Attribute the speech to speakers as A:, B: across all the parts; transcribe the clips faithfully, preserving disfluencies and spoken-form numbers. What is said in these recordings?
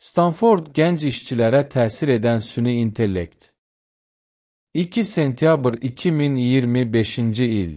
A: Stanford gənc işçilərə təsir edən süni intellekt. iki sentyabr iki min iyirmi beşinci il.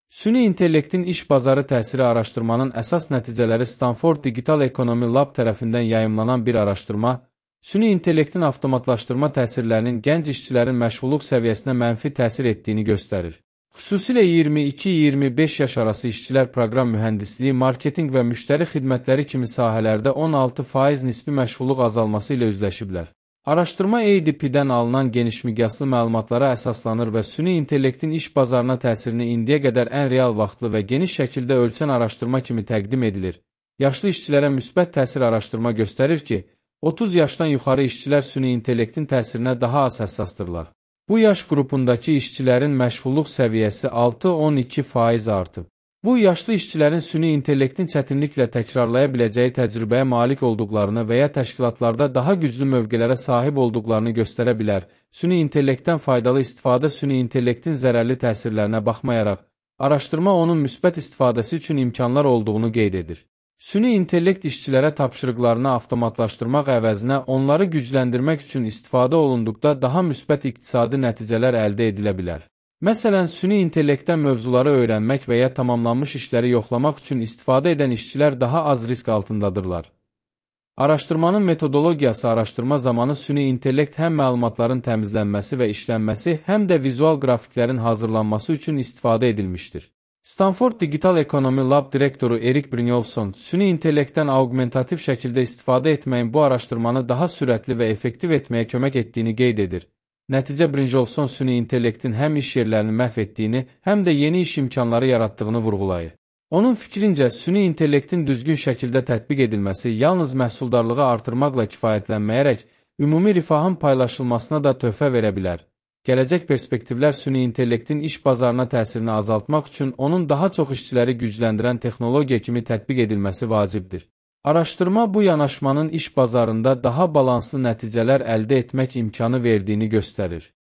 A: Süni intellektin iş bazarı təsiri araşdırmanın əsas nəticələri Stanford Digital Economy Lab tərəfindən yayımlanan bir araşdırma, süni intellektin avtomatlaşdırma təsirlərinin gənc işçilərin məşğulluq səviyyəsinə mənfi təsir etdiyini göstərir. Xüsusilə iyirmi iki iyirmi beş yaş arası işçilər proqram mühəndisliyi, marketinq və müştəri xidmətləri kimi sahələrdə on altı faiz nisbi məşğulluq azalması ilə üzləşiblər. Araşdırma A D P-dən alınan genişmiqyaslı məlumatlara əsaslanır və süni intellektin iş bazarına təsirini indiyə qədər ən real vaxtlı və geniş şəkildə ölçən araşdırma kimi təqdim edilir. Yaşlı işçilərə müsbət təsir araşdırma göstərir ki, otuz yaşdan yuxarı işçilər süni intellektin təsirinə daha az həssasdırlar. Bu yaş qrupundakı işçilərin məşğulluq səviyyəsi altı on iki faiz artıb. Bu, yaşlı işçilərin süni intellektin çətinliklə təkrarlaya biləcəyi təcrübəyə malik olduqlarını və ya təşkilatlarda daha güclü mövqelərə sahib olduqlarını göstərə bilər. Süni intellektdən faydalı istifadə süni intellektin zərərli təsirlərinə baxmayaraq, araşdırma onun müsbət istifadəsi üçün imkanlar olduğunu qeyd edir. Süni intellekt işçilərə tapşırıqlarını avtomatlaşdırmaq əvəzinə onları gücləndirmək üçün istifadə olunduqda daha müsbət iqtisadi nəticələr əldə edilə bilər. Məsələn, süni intellektdən mövzuları öyrənmək və ya tamamlanmış işləri yoxlamaq üçün istifadə edən işçilər daha az risk altındadırlar. Araşdırmanın metodologiyası araşdırma zamanı süni intellekt həm məlumatların təmizlənməsi və işlənməsi, həm də vizual qrafiklərin hazırlanması üçün istifadə edilmişdir. Stanford Digital Economy Lab direktoru Erik Brynjolfsson, süni intellektdən augmentativ şəkildə istifadə etməyin bu araşdırmanı daha sürətli və effektiv etməyə kömək etdiyini qeyd edir. Nəticə Brynjolfsson süni intellektin həm iş yerlərini məhv etdiyini, həm də yeni iş imkanları yaratdığını vurğulayır. Onun fikrincə, süni intellektin düzgün şəkildə tətbiq edilməsi yalnız məhsuldarlığı artırmaqla kifayətlənməyərək, ümumi rifahın paylaşılmasına da töhfə verə bilər. Gələcək perspektivlər süni intellektin iş bazarına təsirini azaltmaq üçün onun daha çox işçiləri gücləndirən texnologiya kimi tətbiq edilməsi vacibdir. Araşdırma bu yanaşmanın iş bazarında daha balanslı nəticələr əldə etmək imkanı verdiyini göstərir.